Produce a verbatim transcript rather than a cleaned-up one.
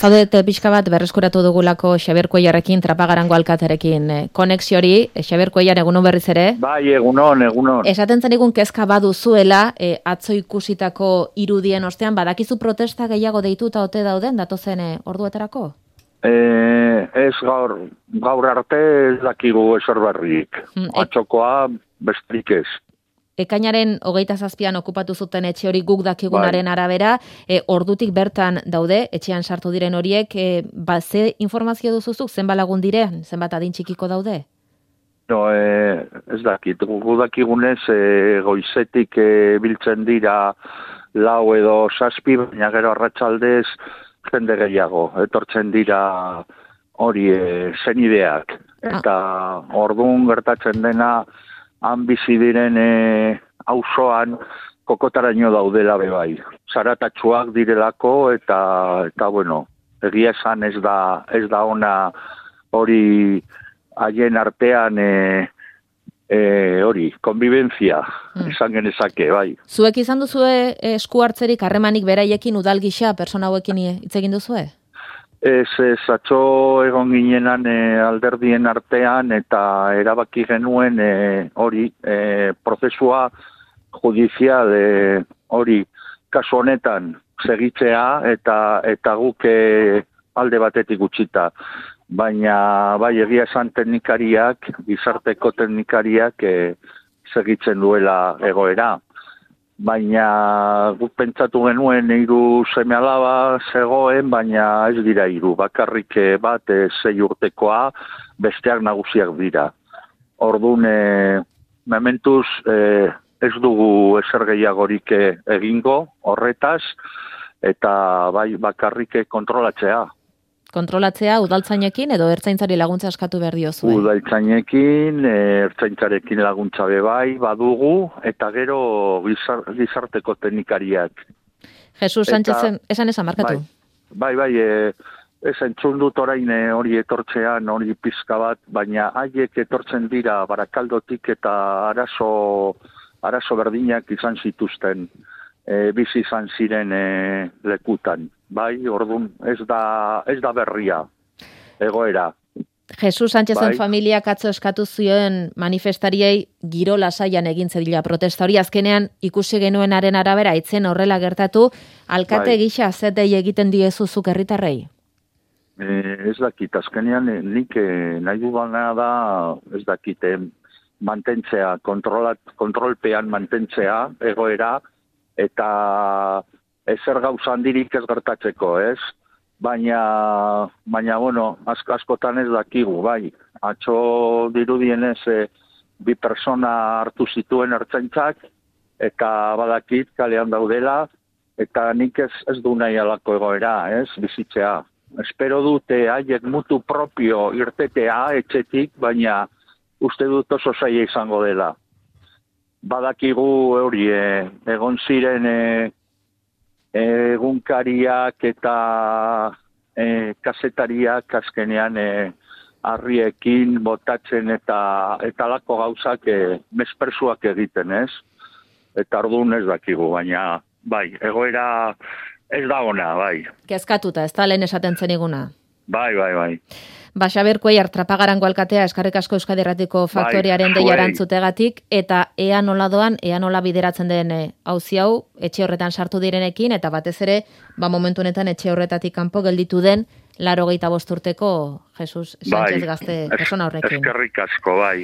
Zaudete pixka bat berreskuratu dugulako Xabier Cuellarrekin, Trapagarango alkaterekin eh, konexiori. Eh, Xabier Cuellar, egunon berriz ere? Bai, egunon, egunon. Esaten zenigun kezka baduzuela, eh, atzo ikusitako irudien ostean, badakizu protesta gehiago deituta ote dauden, datozen eh, orduetarako? Eh, ez gaur, gaur arte ez dakigu ezer berrik. Mm, e... Atzokoa besterik ez. Ekainaren hogeita zazpian okupatu zuten etxe hori guk dakigunaren bai. arabera, e, ordutik bertan daude, etxean sartu diren horiek, e, ba, ze informazio duzuzuk, zenbat lagun diren, zenbat adin txikiko daude? No, e, ez dakit, guk dakigunez e, goizetik e, biltzen dira lau edo zazpi, baina gero arratsaldez jende gehiago, etortzen dira hori e, zenideak, eta ah. ordun gertatzen dena, han bizi diren e, auzoan kokotaraino daudela bebai. Zaratatsuak direlako eta eta bueno, egia esan ez da ez da ona hori haien artean e, e, hori konbibentzia hmm. izan genezake bai. Zuek izan duzue esku hartzerik harremanik beraiekin udal gisa pertsona hauekin hitz egin duzue? Ez, ez, atzo egon ginenan e, alderdien artean eta erabaki genuen e, hori e, prozesua judizial e, hori kasu honetan segitzea eta eta guk e, alde batetik utzita. Baina bai egia esan teknikariak, gizarteko teknikariak e, segitzen duela egoera. Baina guk pentsatu genuen hiru seme alaba zegoen, baina ez dira hiru, bakarrik bat e, sei urtekoa, besteak nagusiak dira. Orduan, e, mementuz e, ez dugu ezer gehiagorik egingo horretaz, eta bai bakarrik kontrolatzea. Kontrolatzea udaltzainekin edo ertzaintzari laguntza eskatu behar diozue? Udaltzainekin, ertzaintzarekin laguntza bebai, badugu, eta gero gizar, gizarteko teknikariak. Jesus Sánchezen, esan esan markatu? Bai, bai, bai e, ez entzun dut orain hori etortzean, hori pizka bat, baina haiek etortzen dira Barakaldotik eta arazo, arazo berdinak izan zituzten, e, bizi izan ziren e, lekutan. Bai, ordun ez da ez da berria egoera. Jesus Sánchezen bai. Familiak atzo eskatu zioen manifestariei giro lasaian egin zedila protesta hori azkenean ikusi genuenaren arabera itzen horrela gertatu, alkate bai. Gisa zer dei egiten diezuzuk herritarrei? Eh, ez dakit, azkenean nik eh, nahi dudana da ez dakit eh, mantentzea, kontrolat, kontrolpean mantentzea egoera eta ezer gauza handirik ez gertatzeko, ez? Baina, baina bueno, asko askotan ez dakigu, bai. Atzo dirudienez e, bi persona hartu zituen ertzaintzak, eta badakit kalean daudela, eta nik ez, ez du nahi alako egoera, ez? Bizitzea. Espero dute haiek mutu propio irtetea etxetik, baina uste dut oso zaila izango dela. Badakigu hori, e, egon ziren e, egunkariak eta e, kazetariak azkenean e, harriekin botatzen eta eta lako gauzak e, mespersuak egiten, ez? Eta orduan ez dakigu, baina bai, egoera ez da ona, bai. Kezkatuta, ez da lehen esaten zeniguna? Bai, bai, bai. Ba, Xabier Cuellar, Trapagarango alkatea, eskarrik asko Euskadi Irratiko faktoriaren bai, deia erantzutegatik, eta ea nola doan, ea nola bideratzen den auzi hau, etxe horretan sartu direnekin, eta batez ere, ba momentu honetan etxe horretatik kanpo gelditu den, laurogeita bost urteko Jesus Sánchez bai, gazte persona horrekin. Eskerrik asko, bai.